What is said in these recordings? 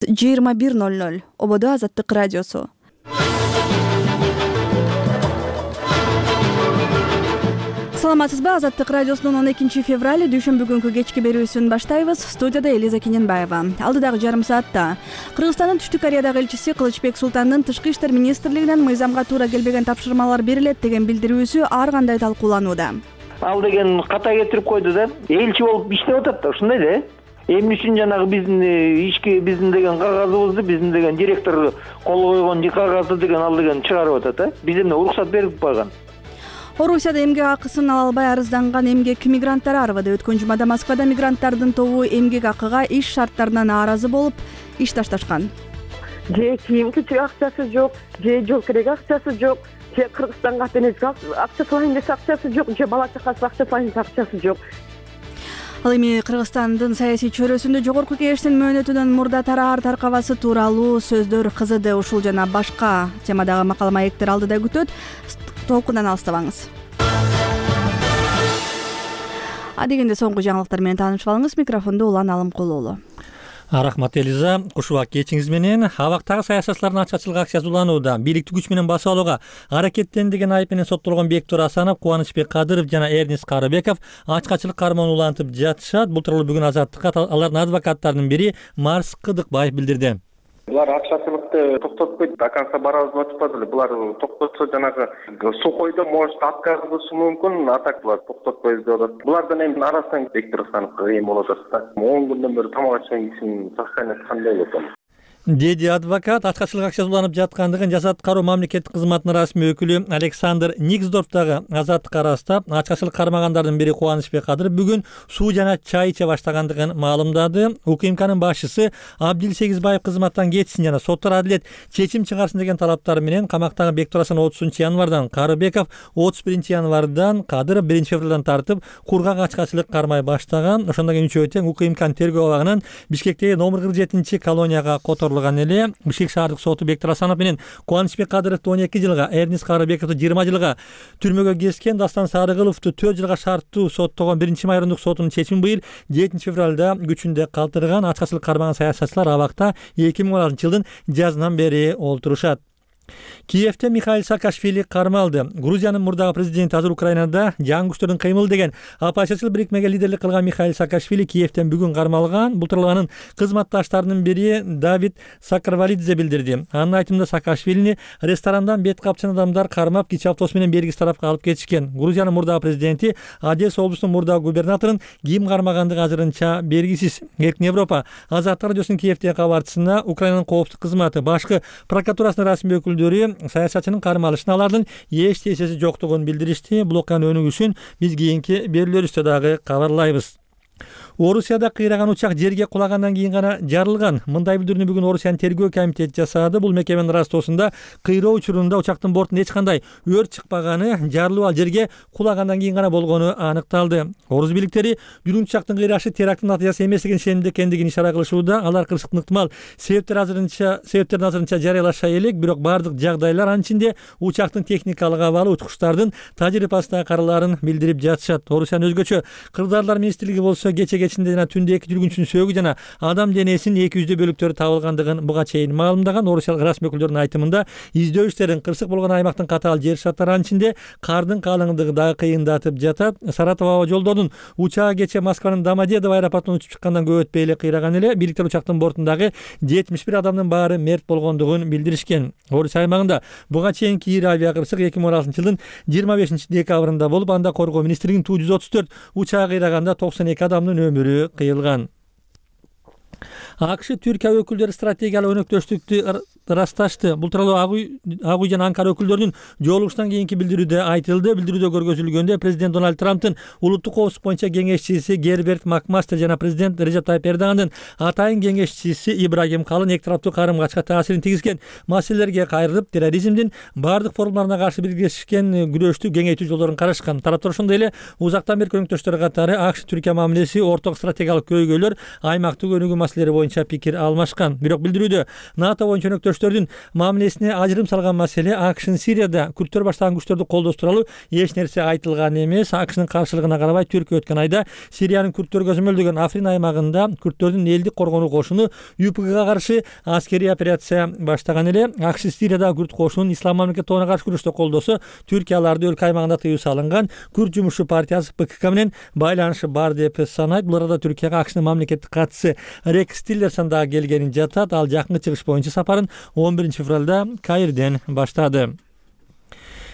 21:00 ободо Азаттык радиосу. Саламатсызбы? Азаттык радиосунун 12 февраль дүйшөмбү күнкү кечки берүүсүн баштайбыз. Студияда Элиза Кененбаева. Алдыдагы жарым саатта Кыргызстандын Түштүк Кореядагы элчиси Кылычбек Султандын Тышкы иштер министрлигинен мыйзамга туура келбеген тапшырмалар берилет деген билдирүүсү ар кандай талкууланууда. Ал деген ката кетирип койду да. Элчи болуп иштеп атат да, ушундай да. Эмне үчүн жанагы биздин ишке биздин деген кагазыбызды, биздин деген директор кол койгон кагазды деген ал деген чыгарып атат да. Биз эмне уруксат берип койгон. Орусияда эмгек акысын ала албай арызданган эмгек мигранттары арыбады. Өткөн жумада Москвада мигранттардын тобу эмгек акыга иш шарттарынан нааразы болуп иш ташташкан. Же кийим кечек акчасы жок, же жол керек акчасы жок, же Кыргызстанга апенезге акча салайын десе акчасы жок, же бала чакасына акча салайын десе акчасы жок. Ал эми Кыргызстандын саясий чөйрөсүндө жогорку кеңештин мөөнөтүнөн мурда тараар таркабасы тууралуу сөздөр кызыды. Ушул жана башка темадагы макала маектер алдыда күтөт. Толкундан алыстабаңыз. Дегенде соңку жаңылыктар менен таанышып алыңыз. Микрофонду Улан Алымкулуулу. Рахмат Элиза. Кушубак кечиңиз менен абактагы саясатчылардын ачкачылык акциясы уланууда. Бийликти күч менен басып алууга аракеттен деген айып менен соттолгон Бектур Асанов, Кубанычбек Кадыров жана Эрнис Карыбеков ачкачылык кармоон улантып жатышат. Бул тууралуу бүгүн Азаттыкка алардын адвокаттарынын бири Марс Кыдыкбаев билдирди. Булар акчачылыкты токтотпойт, до конца барабыз деп атпады эле. Булар токтотсо жанагы сухойдо может отказ кылышы мүмкүн, а так булар токтотпойбуз деп атат. Булардан эми арасынан Бектур Асановго эми болот да. 10 күндөн бери тамак ачпай кишинин состояниясы кандай болот? Деди адвокат. Ачкачылык акциясы уланып жаткандыгын Жаза аткаруу мамлекеттик кызматынын расмий өкүлү Александр Никсдорф дагы Азаттыкка ырастап, ачкачылык кармагандардын бири Кубанычбек Кадыров бүгүн суу жана чай иче баштагандыгын маалымдады. УКМКнын башчысы Абдил Сегизбаев кызматтан кетсин жана соттор адилет чечим чыгарсын деген талаптары менен камактагы Бектур Асанов 30-январдан, Карыбеков 31-январдан, Кадыров 1-февралдан тартып кургак ачкачылык кармай баштаган. Ошондон кийин үчөө тең УКМКнын тергөө абагынан Бишкектеги номер 47 колонияга эле. Бишкек шаардык соту Бектур Асанов менен Кубанычбек Кадыровду 12 жылга, Эрнис Карыбековду 20 жылга түрмөгө кескен, Дастан Сарыгыловду 4 жылга шарттуу соттогон 1-май райондук сотунун чечими быйыл 7-февралда күчүндө калтырган. Ачкачылык кармаган саясатчылар абакта 2016-жылдын жазынан бери олтурушат. Киевде Михаил Саакашвили кармалды. Грузиянын мурдагы президенти азыр Украинада жаңы күчтөрдүн кыймылы деген оппозициячыл бирикмеге лидерлик кылган Михаил Саакашвили Киевден бүгүн кармалган. Бул тууралуу анын кызматташтарынын бири Давид Сакарвалидзе билдирди. Анын айтымында Саакашвилини ресторандан бет капчан адамдар кармап, кичи автобус менен бергис тарапка алып кетишкен. Грузиянын мурдагы президенти Одесса облусунун мурдагы губернаторун ким кармагандыгы азырынча белгисиз. Эркин Европа Азаттык радиосунун Киевдеги кабарчысына Украинанын коопсуздук кызматы башкы прокуратурасынын расмий өкүлдөрү саясатчынын кармалышына алардын эч тесеси жоктугун билдиришти. Бул окуянын өнүгүүсүн биз кийинки берүүлөрүбүздө дагы кабарлайбыз. Орусияда кыйраган учак жерге кулагандан кийин гана жарылган. Мындай билдирүүнү бүгүн Орусиянын тергөө комитети жасады. Бул мекеменин ырастоосунда кыйроо учурунда учактын бортунда эч кандай өрт чыкпаганы, жарылуу ал жерге кулагандан кийин гана болгону аныкталды. Орус бийликтери жүргүн учактын кыйрашы теракттын натыйжасы эмеслигин ишенимде экендигин ишара кылышууда. Алар кырсыктын ыктымал себептерин азырынча жарыялашпай элек, бирок бардык жагдайлар, анын ичинде учактын техникалык абалы, уткучтардын тажрыйбасына караларын билдирип жатышат. Орусиянын өзгөчө кырдаарлар министрлиги болсо кече жана түндө 2 жүргүнчүнүн сөөгү жана адам денесинин 200 бөлүктөрү табылгандыгын буга чейин маалымдаган. Орусиялык расмий өкүлдөрдүн айтымында издөө иштерин кырсык болгон аймактын катаал жер шарттары, анын ичинде кардын калыңдыгы дагы кыйындатып жатат. Саратов аба жолдорунун учагы кече Москванын Домодедово аэропортунан учуп чыккандан көп өтпөй эле кыйраган эле. Бийликтер учактын бортундагы 71 адамдын баары мерт болгондугун билдиришкен. Орусия аймагында буга чейинки ири авиакырсык 2016-жылдын 25-декабрында болуп, анда коргоо министрлигинин Ту-134 учагы кыйраганда 92 адамдын өмүрү кыйылган. АКШ Түркия өкүлдөрү стратегиялык өнөктөштүктү ырасташты. Бул тууралуу Ак үй жана Анкара өкүлдөрүнүн жолугушунан кийинки билдирүүдө айтылды. Билдирүүдө көргөзүлгөндө президент Дональд Трамптын улуттук коопсуздук боюнча кеңешчиси Герберт Макмастер жана президент Режеп Тайып Эрдогандын атайын кеңешчиси Ибрагим Калын эки тараптуу карым-качка таасирин тийгизген маселелерге кайрылып, терроризмдин бардык формаларына каршы биргешкен күрөштү кеңейтүү жолдорун карашкан. Тараптар ошондой эле узактан берки өнөктөштөр катары АКШ Түркия мамилеси, орток стратегиялык көйгөйлөр, аймактык өнүгүү маселелери боюнча пикир алмашкан. Бирок билдирүүдө НАТО боюнча өнөктөштүк күчтөрдүн мамилесине ажырым салган маселе АКШнын Сирияда күрттөр баштаган күчтөрдү колдоо тууралуу эч нерсе айтылган эмес. АКШнын каршылыгына карабай Түркия өткөн айда Сириянын күрттөргө көзөмөлдөгөн Африн аймагында күрттөрдүн элдик коргонуу кошуну ЮПГга каршы аскерий операция баштаган эле. АКШ Сириядагы күрт кошунун Ислам мамлекет тобуна каршы күрөштө колдосо Түркия аларды өлкө аймагында тыюу салынган Күрт жумушчу партиясы ПКК менен байланышы бар деп санайт. Бул арада Түркияга АКШнын мамлекеттик катчысы Рекс Тиллерсон дагы келгени жатат. Ал жакынкы чыгыш боюнча сапарын 11 февралда Каирден баштады.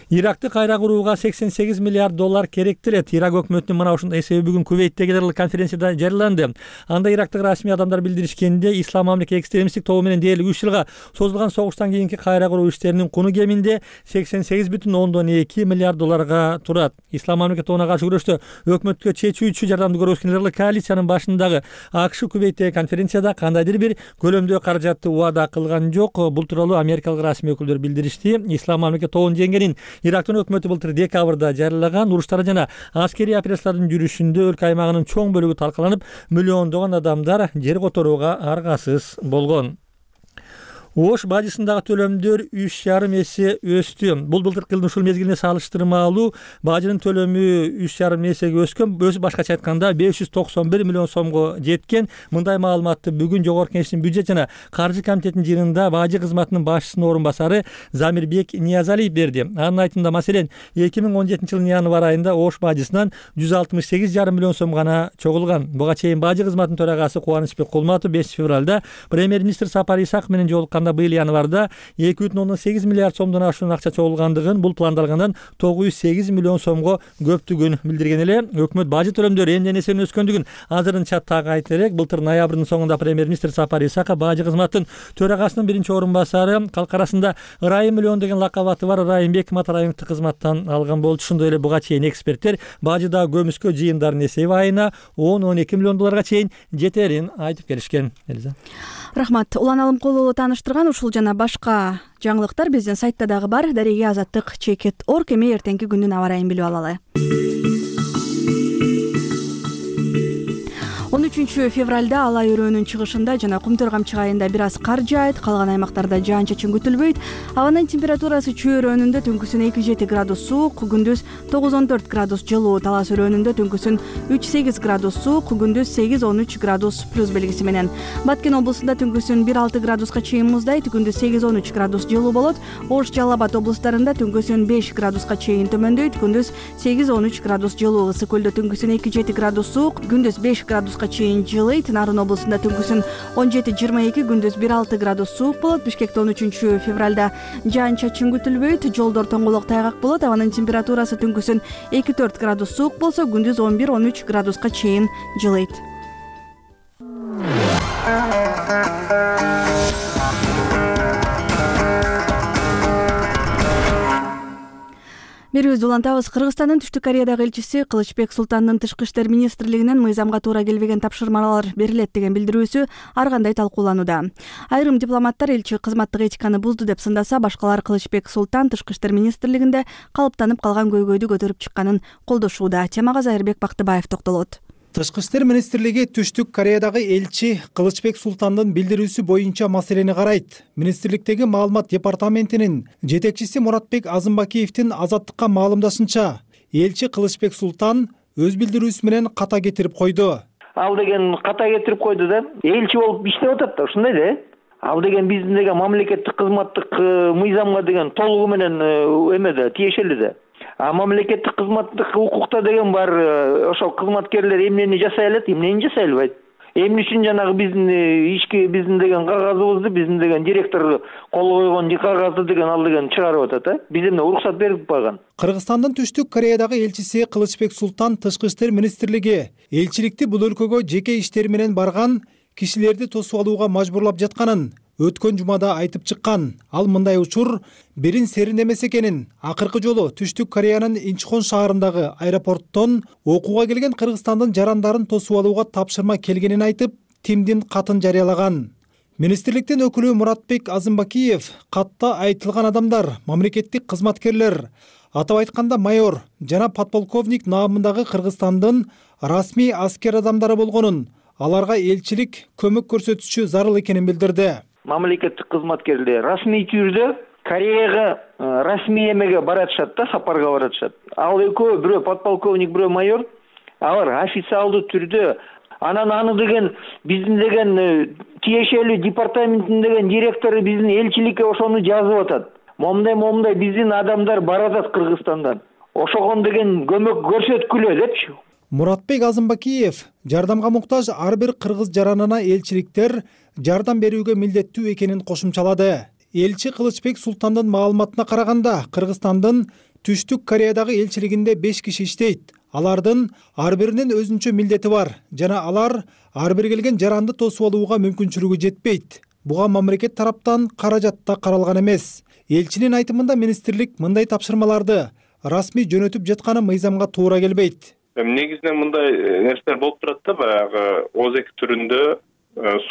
Иракты кайра курууга $88 миллиард керек делет. Ирак өкмөтүнүн мына ушундай эсеби бүгүн Кувейттеги генералдык конференцияда жарыяланды. Анда ирактык расмий адамдар билдиришкенде, ислам мамлекет экстремисттик тобу менен дээрлик 3 жылга созулган согуштан кийинки кайра куруу иштеринин куну кеминде $88,2 миллиард турат. Ислам мамлекет тобуна каршы күрөштө өкмөткө чечүүчү жардамды көрсөткөн генералдык коалициянын башындагы АКШ Кувейттеги конференцияда кандайдыр бир көлөмдө каражатты убада кылган жок. Бул тууралуу америкалык расмий өкүлдөр билдиришти. Ислам мамлекет тобунун жеңгенин Ирактын өкмөтү былтыр декабрда жарыялаган. Уруштар жана аскерий операциялардын жүрүшүндө өлкө аймагынын чоң бөлүгү талкаланып, миллиондогон адамдар жер которууга аргасыз болгон. Ош бажысындагы төлөмдөр 3,5 эсе өстү. Бул былтыркы жылдын ушул мезгилине салыштырмалуу бажынын төлөмү 3,5 эсеге өскөн. Башкача айтканда 591 миллион сомго жеткен. Мындай маалыматты бүгүн Жогорку Кеңештин бюджет жана каржы комитетинин жыйынында бажы кызматынын башчысынын орун басары Замирбек Ниязалиев берди. Анын айтымында маселен 2017 жылдын январь айында Ош бажысынан 168,5 миллион сом гана чогулган. Буга чейин бажы кызматынын төрагасы Кубанычбек Кулматов 5 февралда премьер-министр Сапар Исаков менен жолукканда быйыл январда 2,8 миллиард сомдон ашуун акча чогулгандыгын, бул пландалгандан 908 миллион сомго көптүгүн билдирген эле. Өкмөт бажы төлөмдөрү эмне нерсенин өскөндүгүн азырынча так айтып элек. Былтыр ноябрдын соңунда премьер-министр Сапар Исаков бажы кызматынын төрагасынын биринчи орун басары, калк арасында Ырайым миллион деген лакап аты бар Ырайымбек Матараевди кызматтан алган болчу. Ошондой эле буга чейин эксперттер бажыдагы көмүскө жыйындардын эсеби айына 10-12 миллион долларга чейин жетерин айтып келишкен. Рахмат. Улан Алымкулуу тааныштырган ушул жана башка жаңылыктар биздин сайтта дагы бар. Дареге Азаттык.org. Эми эртеңки күндүн аба ырайын билип алалы. 13 февралда Алай өрөөнүн чыгышында жана Кумтөр камчык айында бир аз кар жаайт, калган аймактарда жаан-чачын күтүлбөйт. Абанын температурасы Чүй өрөөнүндө түнкүсүн 2-7 градус суук, күндүз 9-14 градус жылуу, Талас өрөөнүндө түнкүсүн 3-8 градус суук, күндүз 8-13 градус плюс белгиси менен. Баткен облусунда түнкүсүн 1-6 градуска чейин муздайт, күндүз 8-13 градус жылуу болот. Ош, Жалал Абад облустарында түнкүсүн 5 градуска чейин төмөндөйт, күндүз 8-13 градус жылуу. Ысык көлдө түнкүсүн 2-7 градус суук, күндүз 5 градуска чейин жылыйт. Нарын облусунда түнкүсүн 17-22, күндүз 1-6 градус суук болот. Бишкекте 13 февралда жаан-чачын күтүлбөйт, жолдор тоңголок тайгак болот. Абанын температурасы түнкүсүн 2-4 градус суук болсо, күндүз 11-13 градуска чейин жылыйт. Берүүбүздү улантабыз. Кыргызстандын Түштүк Кореядагы элчиси Кылычбек Султандын Тышкы иштер министрлигинен мыйзамга туура келбеген тапшырмалар берилет деген билдирүүсү ар кандай талкууланууда. Айрым дипломаттар элчи кызматтык этиканы бузду деп сындаса, башкалар Кылычбек Султан Тышкы иштер министрлигинде калыптанып калган көйгөйдү көтөрүп чыкканын колдошууда. Темага Зайырбек Бактыбаев токтолот. Тышкы иштер министрлиги Түштүк Кореядагы элчи Кылычбек Султандын билдирүүсү боюнча маселени карайт. Министрликтеги маалымат департаментинин жетекчиси Муратбек Азымбакиевдин Азаттыкка маалымдашынча, элчи Кылычбек Султан өз билдирүүсү менен ката кетирип койду. Ал деген ката кетирип койду да, элчи болуп иштеп атат да, ушундай да. Ал деген биздин деген мамлекеттик кызматтык мыйзамга деген толугу менен эмеде, тиешелүү да. А мамлекеттик кызматтык укукта деген бар, ошол кызматкерлер эмнени жасай алат, эмнени жасай албайт. Эмне үчүн жанагы биздин биздин деген кагазыбызды, биздин деген директор кол койгон кагазды деген ал деген чыгарып атат, а? Биз эмне уруксат берип койгон. Кыргызстандын Түштүк Кореядагы элчиси Кылычбек Султан Тышкы иштер министрлиги элчиликти бул өлкөгө жеке иштери менен барган кишилерди тосуп алууга мажбурлап жатканын өткөн жумада айтып чыккан. Ал мындай учур бирин серин эмес экенин, акыркы жолу Түштүк Кореянын Инчхон шаарындагы аэропорттон окууга келген Кыргызстандын жарандарын тосуп алууга тапшырма келгенин айтып, тимдин катын жарыялаган. Министрликтин өкүлү Муратбек Азымбакиев катта айтылган адамдар мамлекеттик кызматкерлер, атап айтканда майор жана подполковник наамындагы Кыргызстандын расмий аскер адамдары болгонун, аларга элчилик көмөк көрсөтүшү зарыл экенин билдирди. мамлекеттик кызматкерлер расмий түрдө Кореяга расмий эмеге баратышат да, сапарга баратышат. Ал экөө, бирөө подполковник, бирөө майор, алар официалдуу түрдө анан аны деген биздин деген тиешелүү департаменттин деген директору биздин элчиликке ошону жазып атат. Момундай биздин адамдар баратат Кыргызстандан. Ошогон деген көмөк көрсөткүлө депчи. Муратбек Азымбакиев жардамга муктаж ар бир кыргыз жаранына элчиликтер жардам берүүгө милдеттүү экенин кошумчалады. Элчи Кылычбек Султандын маалыматына караганда, Кыргызстандын Түштүк Кореядагы элчилигинде 5 киши иштейт. Алардын ар биринин өзүнчө милдети бар жана алар ар бир келген жаранды тосуп алууга мүмкүнчүлүгү жетпейт. Буга мамлекет тараптан каражат да каралган эмес. Элчинин айтымында министрлик мындай тапшырмаларды расмий жөнөтүп жатканы мыйзамга туура келбейт. Негизинен мындай нерселер болуп турат да, баягы ОЗЭК түрүндө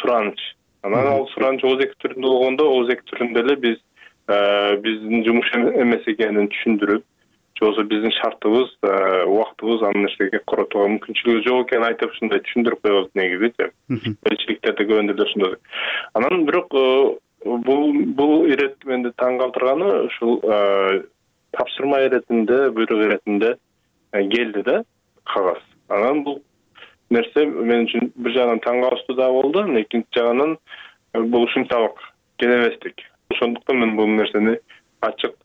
сураныч. Анан ал сураныч ОЗЭК түрүндө болгондо, ОЗЭК түрүндө эле биздин жумуш эмес экенин түшүндүрүп, жоксо биздин шартыбыз, убактыбыз аны нерсеге коротууга мүмкүнчүлүгү жок экенин айтып, ушундай түшүндүрүп коебуз негизичи. Элчиликтерде көбүндө эле ошондой. Анан бирок бул ирет менди таң калтырганы ушул тапшырма иретинде, буйрук иретинде келди да кагаз. Анан бул нерсе мен үчүн бир жагынан таң калыштуу да болду, экинчи жагынан бул ушунчалык келебестик. Ошондуктан мен бул нерсени ачык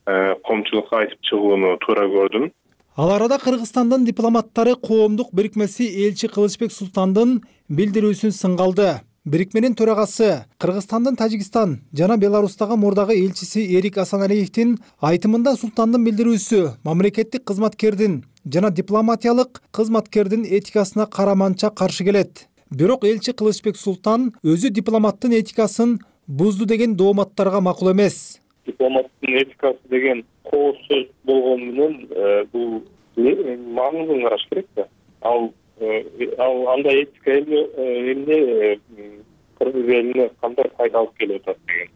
коомчулукка айтып чыгууну туура көрдүм. Ал арада Кыргызстандын дипломаттары коомдук бирикмеси элчи Кылычбек Султандын билдирүүсүн сынгалды. Бирикменин төрагасы Кыргызстандын Тажикстан жана Беларустагы мурдагы элчиси Эрик Асаналиевдин айтымында Султандын билдирүүсү мамлекеттик кызматкердин жана дипломатиялык кызматкердин этикасына караманча каршы келет. Бирок элчи Кылычбек Султан өзү дипломаттын этикасын бузду деген дооматтарга макул эмес. Дипломаттын этикасы деген кооз сөз болгону менен бул маңызын караш керек да. Ал андай этика эмне кыргыз элине кандай пайда алып келип атат деген.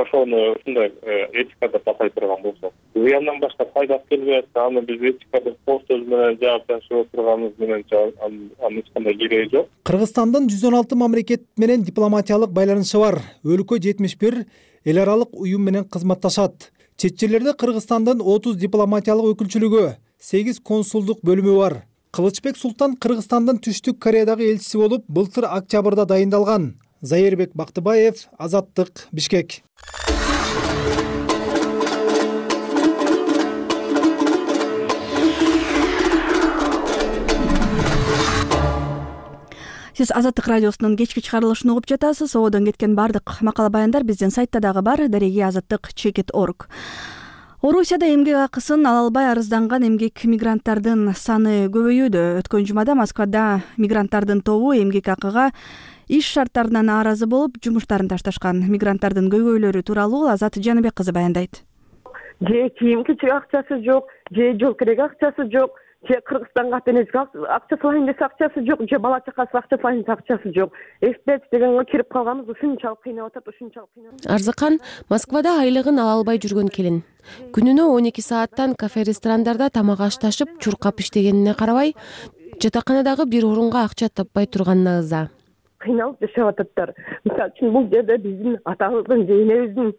Ошону ушундай этика деп атай турган болсо, зыяндан башка пайда алып келбей атса, аны биз этика деп кооз сөз менен жаап ташып отурганыбыз менен анын эч кандай кереги жок. Кыргызстандын 116 мамлекет менен дипломатиялык байланышы бар. Өлкө 71 эл аралык уюм менен кызматташат. Чет жерлерде Кыргызстандын 30 дипломатиялык өкүлчүлүгү, 8 консулдук бөлүмү бар. Кылычбек Султан Кыргызстандын Түштүк Кореядагы элчиси болуп, былтыр октябрда дайындалган. Зайырбек Бактыбаев, Азаттык, Бишкек. Сиз Азаттык радиосунун кечки чыгарылышын угуп жатасыз. Одон кеткен бардык макала баяндар биздин сайтта дагы бар, дареги azattik.org. Орусияда эмгек акысын ала албай арызданган эмгек мигранттардын саны көбөйүүдө. Өткөн жумада Москвада мигранттардын тобу эмгек акыга иш шарттарынан нааразы болуп, жумуштарын ташташкан. Мигранттардын көйгөйлөрү тууралуу Азат Жаныбек кызы баяндайт. Же кийим кичек акчасы жок, же жол керек акчасы жок, же Кыргызстанга апенезге акча салайын десе акчасы жок, же бала чакасы акча салайын десе акчасы жок. Эстеп дегенге кирип калганбыз, ушунчалык кыйнап атат, ушунчалык кыйнап. Арзыкан Москвада айлыгын ала албай жүргөн келин. Күнүнө 12 сааттан кафе-ресторандарда тамак ашташып, чуркап иштегенине карабай, жатаканадагы бир орунга акча таппай турганына ыза. Кыйналып жашап ататтар. Мисалы үчүн бул жерде биздин атабыздын же энебиздин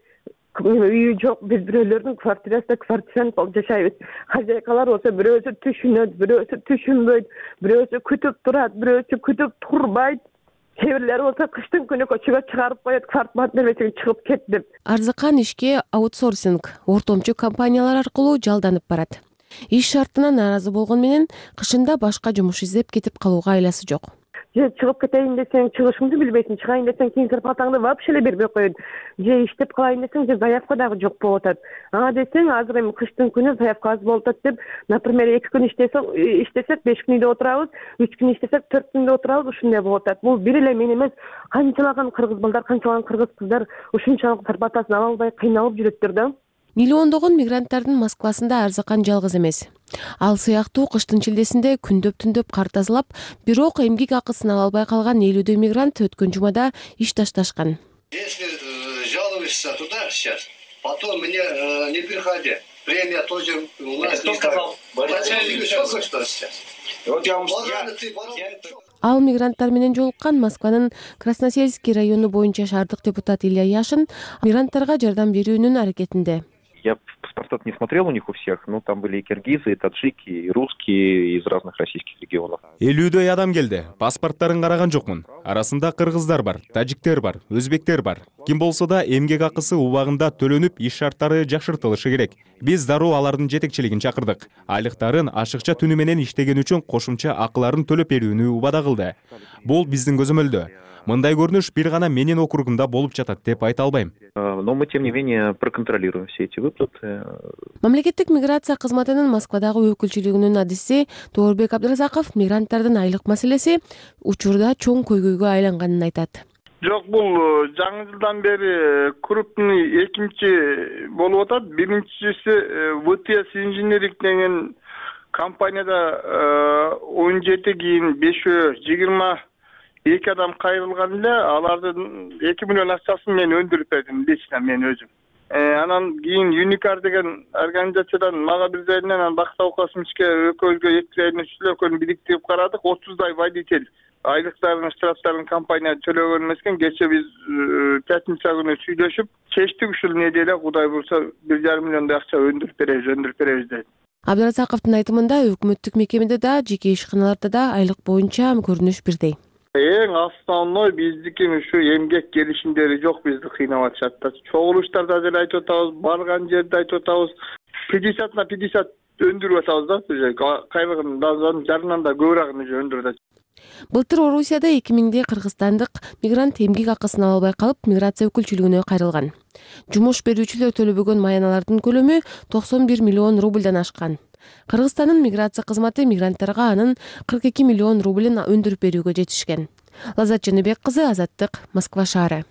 үйү жок, биз бирөөлөрдүн квартирасында болуп жашайбыз. Хозяйкалар болсо бирөөсү түшүнөт, бирөөсү түшүнбөйт, бирөөсү күтүп турат, бирөөсү күтүп турбайт. Кээ бирлери болсо кыштын күнү көчөгө чыгарып коет, квартплат бербесең чыгып кет деп. Арзыкан ишке аутсорсинг, ортомчу компаниялар аркылуу жалданып барат. Иш шартына нааразы болгон менен кышында башка жумуш издеп кетип калууга айласы жок. Же чыгып кетейин десең, чыгышыңды билбейсиң, чыгайын десең, кийин зарплатаңды вообще эле бербей коет. Же иштеп калайын десең, же заявка дагы жок болуп атат. Ага десең, азыр эми кыштын күнү заявка аз болуп атат деп, например, 2 күн иштесек 5 күн үйдө отурабыз, 3 күн иштесек 4 күндө отурабыз, ушундай болуп атат. Бул бир эле мен эмес, канчалаган кыргыз балдар, канчалаган кыргыз кыздар ушунчалык зарплатасын ала албай кыйналып жүрөттөр да. Миллиондогон мигранттардын Москвасында Арзыкан жалгыз эмес. Ал сыяктуу кыштын чилдесинде күндөп кар тазалап, бирок эмгек акысын ала албай калган 50 мигрант өткөн жумада иш ташташкан. Если жалуешься туда сейчас, потом мне не приходи. Премия тоже у нас. Кто сказал? Начальник сколько что сейчас? Вот я вам Ал мигранттар менен жолуккан Москванын Красносельский району боюнча шаардык депутат Илья Яшин мигранттарга жардам берүүнүн аракетинде. Я паспорта не смотрел у них у всех, но там были и киргизы, и таджики, и русские из разных российских регионов. 50 адам келди. Паспорттарын караган жокмун. Арасында кыргыздар бар, тажиктер бар, өзбектер бар. Ким болсо да эмгек акысы убагында төлөнүп, иш шарттары жакшыртылышы керек. Биз дароо алардын жетекчилигин чакырдык. Айлыктарын ашыкча түнү менен иштеген үчүн кошумча акыларын төлөп берүүнү убада кылды. Бул биздин көзөмөлдө. Мындай көрүнүш бир гана менин округумда болуп жатат деп айта албайм. Но мы, тем не менее, проконтролируем все эти выплаты. Мамлекеттик миграция кызматынын Москвадагы өкүлчүлүгүнүн адиси Тоорбек Абдыразаков мигранттардын айлык маселеси учурда чоң көйгөйгө айланганын айтат. Жок, бул жаңы жылдан бери крупный экинчи болуп атат. Биринчиси ВТС инженеринг деген компанияда 17 кийин 5-22 адам кайрылган эле. Алардын 2 миллион акчасын мен өндүрүп бердим, лично мен өзүм. Анан кийин Unicard деген организациядан мага бир жеринен анан Бактау Космичке экөөбүзгө экөөнү бириктирип карадык. 30 водитель айлыктарын, штрафтарын компания төлөгөн эмес экен. Кече биз пятница күнү сүйлөшүп, чечтик ушул неделе Кудай буйрса 1,5 миллиондой акча өндүрүп беребиз деп. Абдыразаковдун айтымында өкмөттүк мекемеде да, жеке ишканаларда да айлык боюнча көрүнүш бирдей. Эң основной биздики ушу эмгек келишимдери жок, бизди кыйнап атышат. Чогулуштарда деле айтып атабыз, барган жерде айтып атабыз, 50/50 өндүрүп атабыз да, кайрылган жарынан да көбүрөөкүн өндүрүп атат. Былтыр Орусияда 2000 кыргызстандык мигрант эмгек акысын ала албай калып, миграция өкүлчүлүгүнө кайрылган. Жумуш берүүчүлөр төлөбөгөн маяналардын көлөмү 91 миллион рубльдан ашкан. Кыргызстандын миграция кызматы мигранттарга анын 42 миллион рублин өндүрүп берүүгө жетишкен. Лаззат Жаныбек кызы, Азаттык, Москва шаары.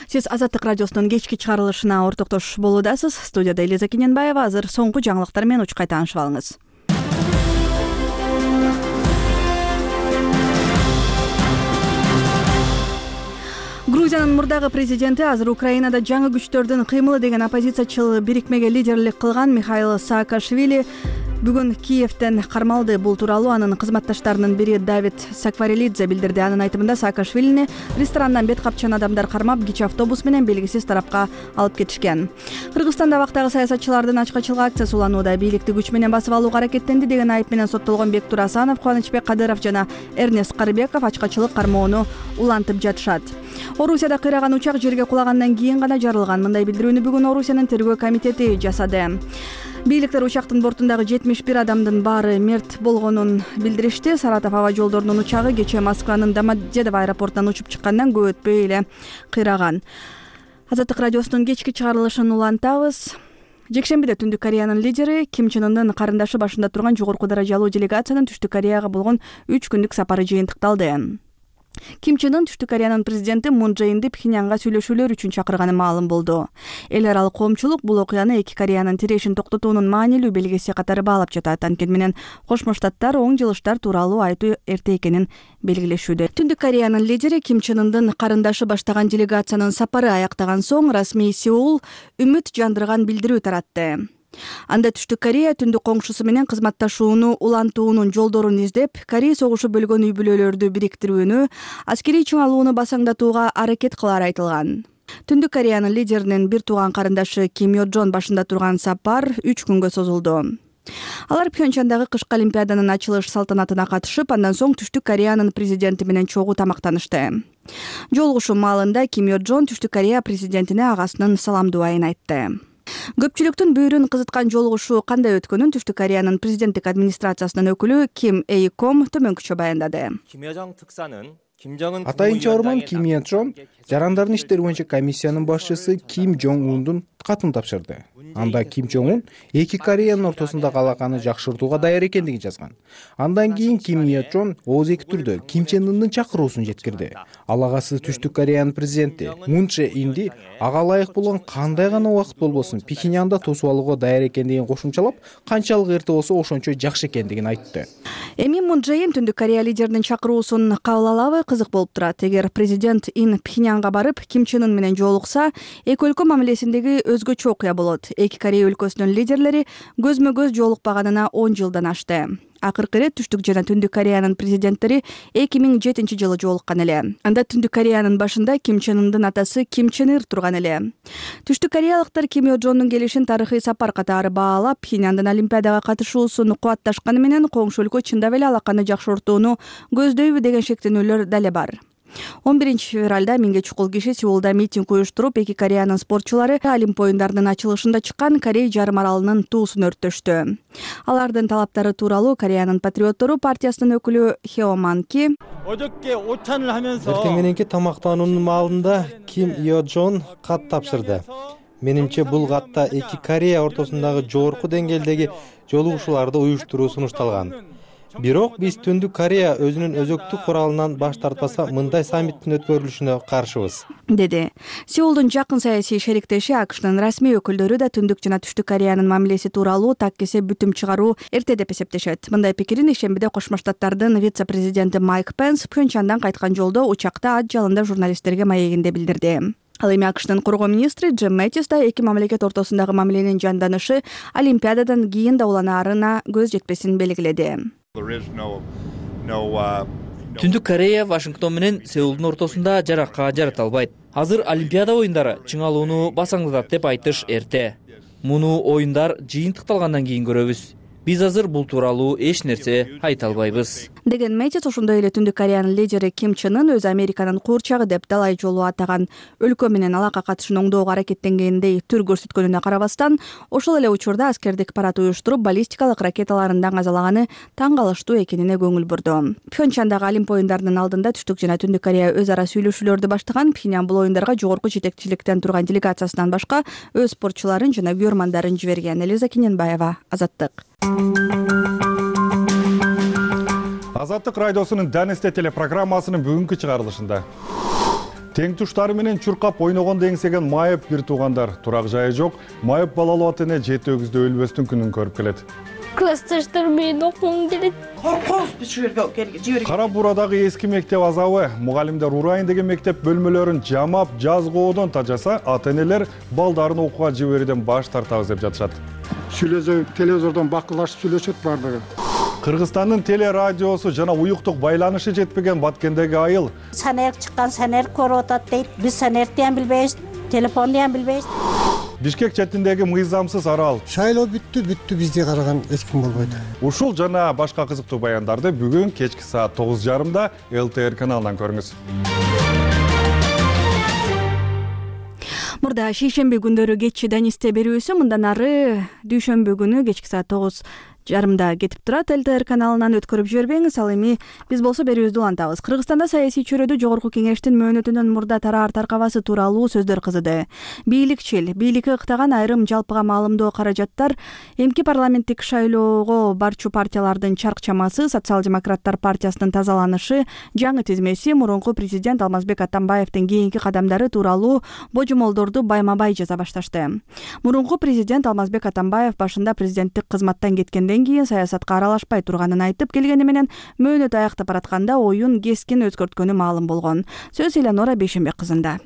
Сиз Азаттык радиосунун кечки чыгарылышына ортоктош болуудасыз. Студияда Элиза Кененбаева. Азыр соңку жаңылыктар менен учкай таанышып алыңыз. Грузиянын мурдагы президенти азыр Украинада жаңы күчтөрдүн кыймылы деген оппозициячыл бирикмеге лидерлик кылган Михаил Саакашвили бүгүн Киевден кармалды. Бул тууралуу анын кызматташтарынын бири Давид Сакварелидзе билдирди. Анын айтымында Саакашвилини ресторандан бет капчан адамдар кармап, кичи автобус менен белгисиз тарапка алып кетишкен. Кыргызстанда абактагы саясатчылардын ачкачылык акциясы уланууда. Бийликти күч менен басып алууга аракеттенди деген айып менен соттолгон Бектур Асанов, Кубанычбек Кадыров жана Эрнест Карыбеков ачкачылык кармоону улантып жатышат. Орусияда кыйраган учак жерге кулагандан кийин гана жарылган. Мындай билдирүүнү бүгүн Орусиянын тергөө комитети жасады. Бийликтер учактын бортундагы 71 адамдын баары мерт болгонун билдиришти. Саратов аба жолдорунун учагы кече Москванын Домодедово аэропортунан учуп чыккандан көп өтпөй эле кыйраган. Азаттык радиосунун кечки чыгарылышын улантабыз. Жекшембиде Түндүк Кореянын лидери Ким Чен Ындын карындашы башында турган жогорку даражалуу делегациянын Түштүк Кореяга болгон 3 күндүк сапары жыйынтыкталды. Ким Чен Ын Түштүк Кореянын президенти Мун Чже Инди Пхеньянга сүйлөшүүлөр үчүн чакырганы маалым болду. Эл аралык коомчулук бул окуяны эки Кореянын тирешин токтотуунун маанилүү белгиси катары баалап жатат. Анткени менен Кошмо Штаттар оң жылыштар тууралуу айтуу эрте экенин белгилешүүдө. Түндүк Кореянын лидери Ким Чен Ындын карындашы баштаган делегациянын сапары аяктаган соң расмий Сеул үмүт жандырган билдирүү таратты. Анда Түштүк Корея түндүк коңшусу менен кызматташууну улантуунун жолдорун издеп, Корей согушу бөлгөн үй бүлөлөрдү бириктирүүнү, аскерий чыңалууну басаңдатууга аракет кылары айтылган. Түндүк Кореянын лидеринин бир тууган карындашы Ким Йо Джон башында турган сапар 3 күнгө созулду. Алар Пхенчандагы кышкы олимпиаданын ачылыш салтанатына катышып, андан соң Түштүк Кореянын президенти менен чогуу тамактанышты. Жолугушуу маалында Ким Йо Джон Түштүк Корея президентине агасынын саламдубайын айтты. Көпчүлүктүн бүйүрүн кызыткан жолугушуу кандай өткөнүн Түштүк Кореянын президенттик администрациясынын өкүлү Ким Эйком төмөнкүчө баяндады. Атайын чыгарман Ким Йо Джон жарандардын иштери боюнча комиссиянын башчысы Ким Жон Ундун катын тапшырды. Анда Ким Жон Ун эки Кореянын ортосундагы алаканы жакшыртууга даяр экендигин жазган. Андан кийин Ким Йо Джон ооз-эки түрдө Ким Чен Ындын чакыруусун жеткирди. Ал агасы Түштүк Кореянын президенти Мун Чже Инди ага ылайык болгон кандай гана убакыт болбосун Пхеньянда тосуп алууга даяр экендигин кошумчалап, канчалык эрте болсо ошончо жакшы экендигин айтты. Эми Мун Чже Ин Түндүк Корея лидеринин чакыруусун кабыл алабы, кызык болуп турат. Эгер президент Ин Пхеньянга барып Ким Чен Ын менен жолукса, эки өлкө мамилесиндеги өзгөчө окуя болот. Эки Корея өлкөсүнүн лидерлери көзмө-көз жолукпаганына 10 жылдан ашты. Акыркы ирет Түштүк жана Түндүк Кореянын президенттери 2007-жылы жолуккан эле. Анда Түндүк Кореянын башында Ким Чен Ындын атасы Ким Чен Ир турган эле. Түштүк кореялыктар Ким Йо Джондун келишин тарыхый сапар катары баалап, Пхеньяндын Олимпиадага катышуусун кубатташканы менен коңшу өлкө чындап эле алаканы жакшыртууну көздөйбү деген шектенүүлөр дале бар. 11-февралда 1000 чукул киши Сеулда митинг уюштуруп, эки Кореянын спортчулары Олимп оюндарынын ачылышында чыккан Корей жарым аралынын туусун өрттөштү. Алардын талаптары тууралуу Кореянын патриоттору партиясынын өкүлү Хео Ман Ки эртең мененки тамактануунун маалында Ким Йо Джон кат тапшырды. Менимче бул катта эки Корея ортосундагы жогорку деңгээлдеги жолугушууларды уюштуруу сунушталган. Бирок биз Түндүк Корея өзүнүн өзөктүк куралынан баш тартпаса, мындай саммиттин өткөрүлүшүнө каршыбыз, деди. Сеулдун жакын саясий шериктеши АКШнын расмий өкүлдөрү да Түндүк жана Түштүк Кореянын мамилеси тууралуу так кесе бүтүм чыгаруу эрте деп эсептешет. Мындай пикирин ишембиде Кошмо Штаттардын вице-президенти Майк Пенс Пхенчандан кайткан жолдо учакта ат жалында журналисттерге маегинде билдирди. Ал эми АКШнын коргоо министри Джим Мэттис да эки мамлекет ортосундагы мамиленин жанданышы Олимпиададан кийин да уланаарына көз жетпесин белгиледи. Түндүк Корея Вашингтон менен Сеулдун ортосунда жаракка жарата албайт. Азыр Олимпиада оюндары чыңалууну басаңдатат деп айтыш эрте. Муну оюндар жыйынтыкталгандан кийин көрөбүз. Биз азыр бул тууралуу эч нерсе айта албайбыз, деген Мэттис ошондой эле Түндүк Кореянын лидери Ким Чен Ын өзү Американын куурчагы деп далай жолу атаган өлкө менен алака катышын оңдоого аракеттенгендей түр көрсөткөнүнө карабастан, ошол эле учурда аскердик парад уюштуруп, баллистикалык ракеталардан казалаганы таң калыштуу экенине көңүл бурду. Пхенчандагы Олимп оюндарынын алдында Түштүк жана Түндүк Корея өз ара сүйлөшүүлөрдү баштаган. Пхеньян бул оюндарга жогорку жетекчиликтен турган делегациясынан башка өз спортчуларын жана көрмандарын жиберген. Элиза Кененбаева, Азаттык. Азаттык радиосунун Данесте телепрограммасынын бүгүнкү чыгарылышында тең туштары менен чуркап ойногондо эңсеген майып бир туугандар, турак жайы жок, майып балалуу ата эне 7 өгүздө өлбөстүн күнүн көрүп келет. Классташтар менен окугум келет. Кара Буурадагы эски мектеп азабы, мугалимдер урайын деген мектеп бөлмөлөрүн жамап, жазгоодон тажаса, ата энелер балдарын окууга жиберүүдөн баш тартабыз деп жатышат. Телевизордон бакылашып сүйлөшөт бардыгы. Кыргызстандын телерадиосу жана уюктук байланышы жетпеген Баткендеги айыл. Санер чыккан, санер көрүп атат дейт. Биз санерди ham билбейбиз, телефонду ham билбейбиз. Бишкек четиндеги мыйзамсыз арал. Шайлоо бүттү, бизди караган эч ким болбойт. Ушул жана башка кызыктуу баяндарды бүгүн кечки саат 9:30 ЛТР каналынан көрүңүз. Мурда шейшемби күндөрү кечи Данисте берүүсү мындан ары дүйшөмбү күнү кечки саат 9:30 кетип турат. ЛТР каналынан өткөрүп жибербеңиз. Ал эми биз болсо берүүбүздү улантабыз. Кыргызстанда саясий чөйрөдө жогорку кеңештин мөөнөтүнөн мурда тараар таркабасы тууралуу сөздөр кызыды. Бийликке ыктаган айрым жалпыга маалымдоо каражаттар эмки парламенттик шайлоого барчу партиялардын чарк чамасы, Социал-демократтар партиясынын тазаланышы, жаңы тизмеси, мурунку президент Алмазбек Атамбаевдин кийинки кадамдары тууралуу божомолдорду байма-бай жаза башташты. Мурунку президент Алмазбек Атамбаев башында президенттик кызматтан кеткенден кийин саясатка аралашпай турганын айтып келгени менен мөөнөт аяктап баратканда оюн кескин өзгөрткөнү маалым болгон. Сөз Элеонора Бейшенбек кызында.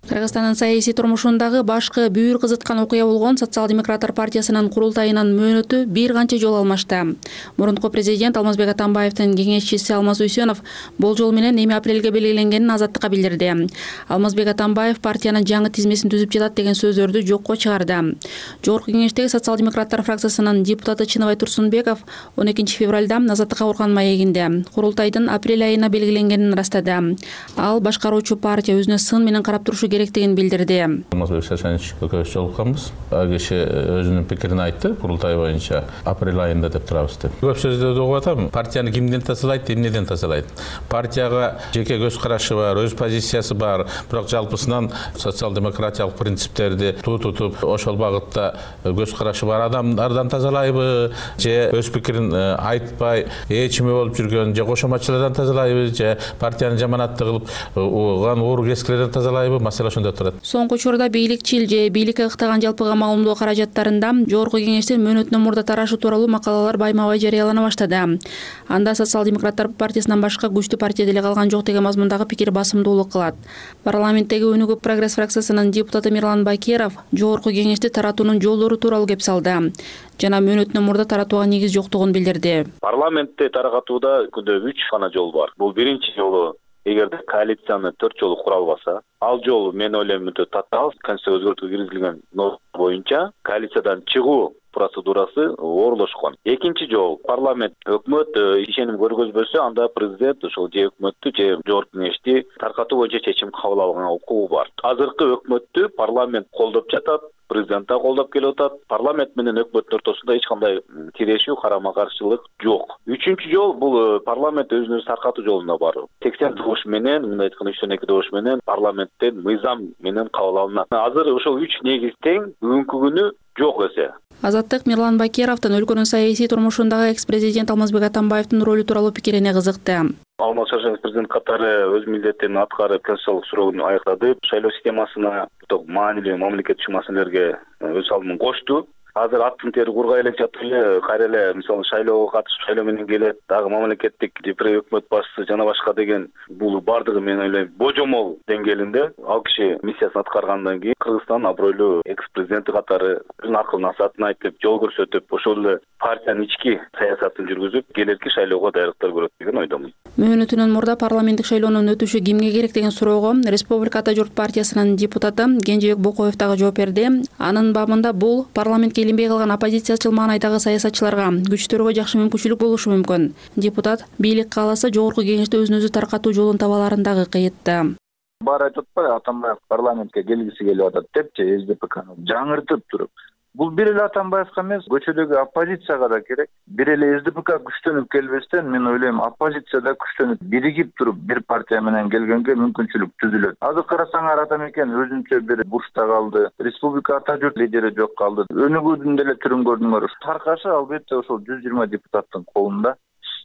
Кыргызстандын саясий турмушундагы башкы бүйүр кызыткан окуя болгон Социал-демократтар партиясынын курултайынын мөөнөтү бир канча жолу алмашты. Мурунку президент Алмазбек Атамбаевдин кеңешчиси Алмаз Уйсенов болжол менен эми апрелге белгиленгенин Азаттыкка билдирди. Алмазбек Атамбаев партиянын жаңы тизмесин түзүп жатат деген сөздөрдү жокко чыгарды. Жогорку кеңештеги Социал-демократтар фракциясынын депутаты Чыныбай Турсунбеков 12 февралда Азаттыкка урган маегинде курултайдын апрель айына белгиленгенин ырастады. Ал башкаруучу партия өзүнө сын менен карап турушу керектигин билдирди. Алмазбек Шашанович экөөбүз жолукканбыз. Ал киши өзүнүн пикирин айтты, курултай боюнча апрель айында деп турабыз деп. Көп сөздөрдү угуп атам. Партияны кимден тазалайт, эмнеден тазалайт? Партияга жеке көз карашы бар, өз позициясы бар, бирок жалпысынан социал-демократиялык принциптерди тутуп, ошол багытта көз карашы бар адамдардан тазалайбы, же өз пикирин айтпай, эчими болуп жүргөн, же кошоматчылардан тазалайбы, же партияны жаманатты кылып, уган уур кескилерден тазалайбы? маселе ошондо турат. Соңку учурда бийликчил же бийликке ыктаган жалпыга маалымдоо каражаттарында Жогорку Кеңештин мөөнөтүнөн мурда тарашы тууралуу макалалар байма-бай жарыялана баштады. Анда Социал-демократтар партиясынан башка күчтүү партия деле калган жок деген мазмундагы пикир басымдуулук кылат. Парламенттеги Өнүгүү Прогресс фракциясынын депутаты Мирлан Бакиров Жогорку Кеңешти таратуунун жолдору тууралуу кеп салды жана мөөнөтүнөн мурда таратууга негиз жоктугун билдирди. Парламентте таратууда күндө 3 гана жол бар. Бул биринчи жолу эгерде коалицияны 4 жолу кура албаса, ал жол мен ойлойм өтө татаал, конституцияга өзгөртүү киргизилген норма боюнча коалициядан чыгуу процедурасы оорлошкон. Экинчи жол парламент өкмөт ишеним көргөзбөсө, анда президент ошол же өкмөттү же Жогорку Кеңешти таркатуу боюнча чечим кабыл алганга укугу бар. Азыркы өкмөттү парламент колдоп жатат, президент да колдоп келип атат. Парламент менен өкмөттүн ортосунда эч кандай тирешүү, карама-каршылык жок. Үчүнчү жол бул парламент өзүн өзү таркатуу жолуна баруу. 80 добуш менен, мындай айтканда 3/2 добуш менен парламенттен мыйзам менен кабыл алынат. Азыр ошол 3 негиз тең бүгүнкү күнү жок эсе. Азаттык Мирлан Бакировдун өлкөнүн саясий турмушундагы экс-президент Алмазбек Атамбаевдин ролу тууралуу пикирине кызыкты. Алмаз Шаршенов президент катары өз милдетин аткарып, конституциялык суроonu аяктады. Шайлоо системасына маанилүү мамлекеттик маселелерге өз салымын кошту. Азыр аттын тери кургай элек жатып эле кайра эле мисалы шайлоого катышып, шайлоо менен келет, дагы мамлекеттик өкмөт башчысы жана башка деген бул бардыгы мен ойлойм божомол деңгээлинде. Ал киши миссиясын аткаргандан кийин Кыргызстан абройлуу экс-президенти катары өзүнүн акыл насаатын айтып, жол көрсөтүп, ошол эле партиянын ички саясатын жүргүзүп, келерки шайлоого даярдыктар көрөт деген ойдомун. Мөөнөтүнөн мурда парламенттик шайлоонун өтүшү кимге керек деген суроого Республика Ата журт партиясынын депутаты Кенжебек Бокоев дагы жооп берди. Анын бабында бул парламентке илинбей калган оппозициячыл маанайдагы саясатчыларга, күчтөргө жакшы мүмкүнчүлүк болушу мүмкүн. Депутат бийлик кааласа Жогорку Кеңешти өзүн өзү таркатуу жолун таба аларын дагы кыйытты. Баары айтып атпайбы, Атамбаев парламентке келгиси келип атат депчи, СДПКны жаңыртып туруп. Бул бир эле Атамбаевка эмес, көчөдөгү оппозицияга да керек. Бир эле СДПК күчтөнүп келбестен, мен ойлойм, оппозицияда күчтөнүп, биригип туруп бир партия менен келгенге мүмкүнчүлүк түзүлөт. Азыр карасаңар Атамекен өзүнчө бир бурчта калды. Республика Ата журт лидери жок калды. Өнүгүүдүн деле түрүн көрдүңөр. Таркашы албетте ошол 120 депутаттын колунда.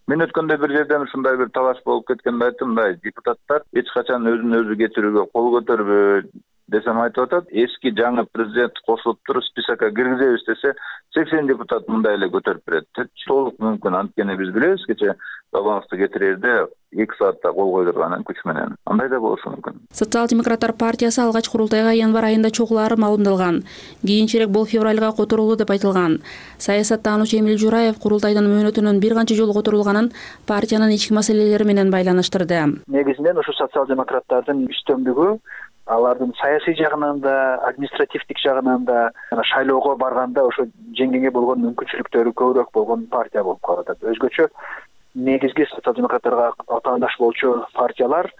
Мен өткөндө бир жерден ушундай бир талаш болуп кеткенде айттым, мындай депутаттар эч качан өзүн өзү кетирүүгө кол көтөрбөйт десем айтып атат. Эски жаңы президент кошулуп туруп списокко киргизебиз десе 80 депутат мындай эле көтөрүп берет. Толук мүмкүн, анткени биз билебиз кече Балановду кетирэрде 2 саатта кол койдурганын күч менен. Андай да болушу мүмкүн. Социал-демократтар партиясы алгач курултайга январь айында чогулаары маалымдалган. Кийинчерээк бул февралга которулду деп айтылган. Саясаттануучу Эмил Жураев курултайдын мөөнөтүнүн бир канча жолу которулганын партиянын ички маселелери менен байланыштырды. Негизинен ушу социал-демократтардын үстөмдүгү алардын саясий жагынан да, административдик жагынан да, шайлоого барганда ошо жеңгенге болгон мүмкүнчүлүктөрү көбүрөөк болгон партия болуп калат. Өзгөчө негизги социал-демократтарга атаандаш болчу партиялар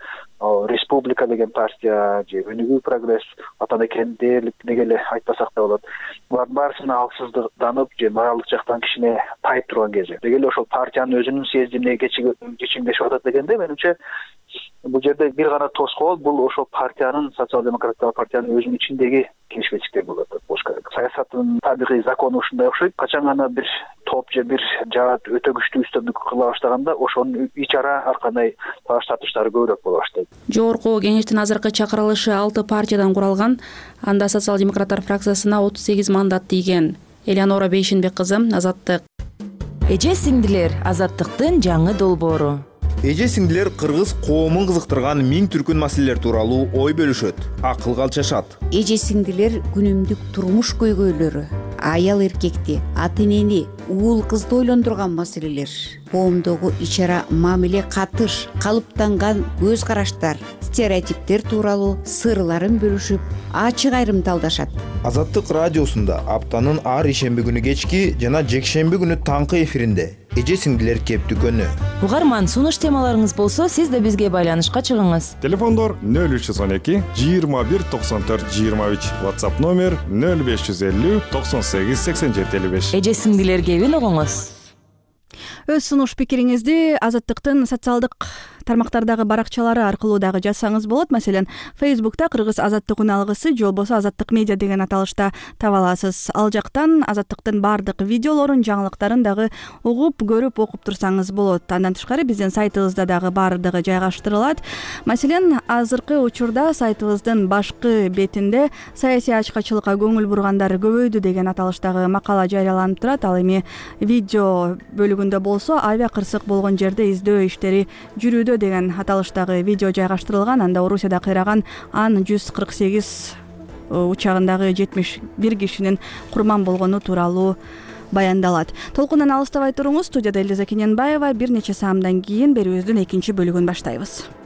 Республика деген партия же Өнүгүү Прогресс, Атамекен дээрлик деге эле айтпасак да болот. Булар баарысына алсызданып же моралдык жактан кичине тайып турган кези. Деги эле ошол партиянын өзүнүн съездине кечиңдешип атат дегенде менимче бул жерде бир гана тоскоол, бул ошол партиянын, социал-демократтар партиянын өзүнүн ичиндеги келишпечтиктер болот болуш керек. Саясаттын табигый закону ушундай окшойт. Качан гана бир топ же бир жаат өтө күчтүү үстөмдүк кыла баштаганда ошонун ич ара ар кандай талаш тартыштары көбүрөөк боло баштайт. Жогорку Кеңештин азыркы чакырылышы 6 партиядан куралган. Анда социал-демократтар фракциясына 38 мандат тийген. Элеонора Бейшинбек кызы, Азаттык. Эже сиңдилер, Азаттыктын жаңы долбоору. Эже сиңдилер кыргыз коомун кызыктырган миң түркүн маселелер тууралуу ой бөлүшөт, акыл калчашат. Эже сиңдилер күнүмдүк турмуш көйгөйлөрү, аял эркекти, ата энени, уул кызды ойлондурган маселелер, коомдогу ич ара мамиле катыш, калыптанган көз караштар, стереотиптер тууралуу сырларын бөлүшүп, ачык айрымдалдашат. Азаттык радиосунда аптанын ар ишемби күнү кечки жана жекшемби күнү таңкы эфиринде эже сиңдилер кептүкөнү. Угарман, сунуш темаларыңыз болсо, сиз да бизге байланышка чыгыңыз. Телефондор 0312 21 94 23, WhatsApp номер 0550 98 87 55. Эже сиңдилер кебин угуңуз. Өз сунуш пикириңизди Азаттыктын социалдык тармактардагы баракчалары аркылуу дагы жазсаңыз болот. Маселен, Facebook'та Кыргыз Азаттык уналгысы же болбосо Азаттык медиа деген аталышта таба аласыз. Ал жактан Азаттыктын баардык видеолорун, жаңылыктарын дагы угуп, көрүп, окуп турсаңыз болот. Андан тышкары биздин сайтыбызда дагы баардыгы жайгаштырылат. Маселен, азыркы учурда сайтыбыздын башкы бетинде саясий ачкачылыкка көңүл бургандар көбөйдү деген аталыштагы макала жарыяланып турат. Ал эми видео бөлүгүндө болсо авиа кырсык болгон жерде издөө иштери жүрүүдө деген аталыштагы видео жайгаштырылган. Анда Орусияда кыйраган Ан-148 учагындагы 71 кишинин курман болгону тууралуу баяндалат. Толкундан алыстабай туруңуз. Студияда Элиза Кененбаева. Бир нече саамдан кийин берүүбүздүн экинчи бөлүгүн баштайбыз.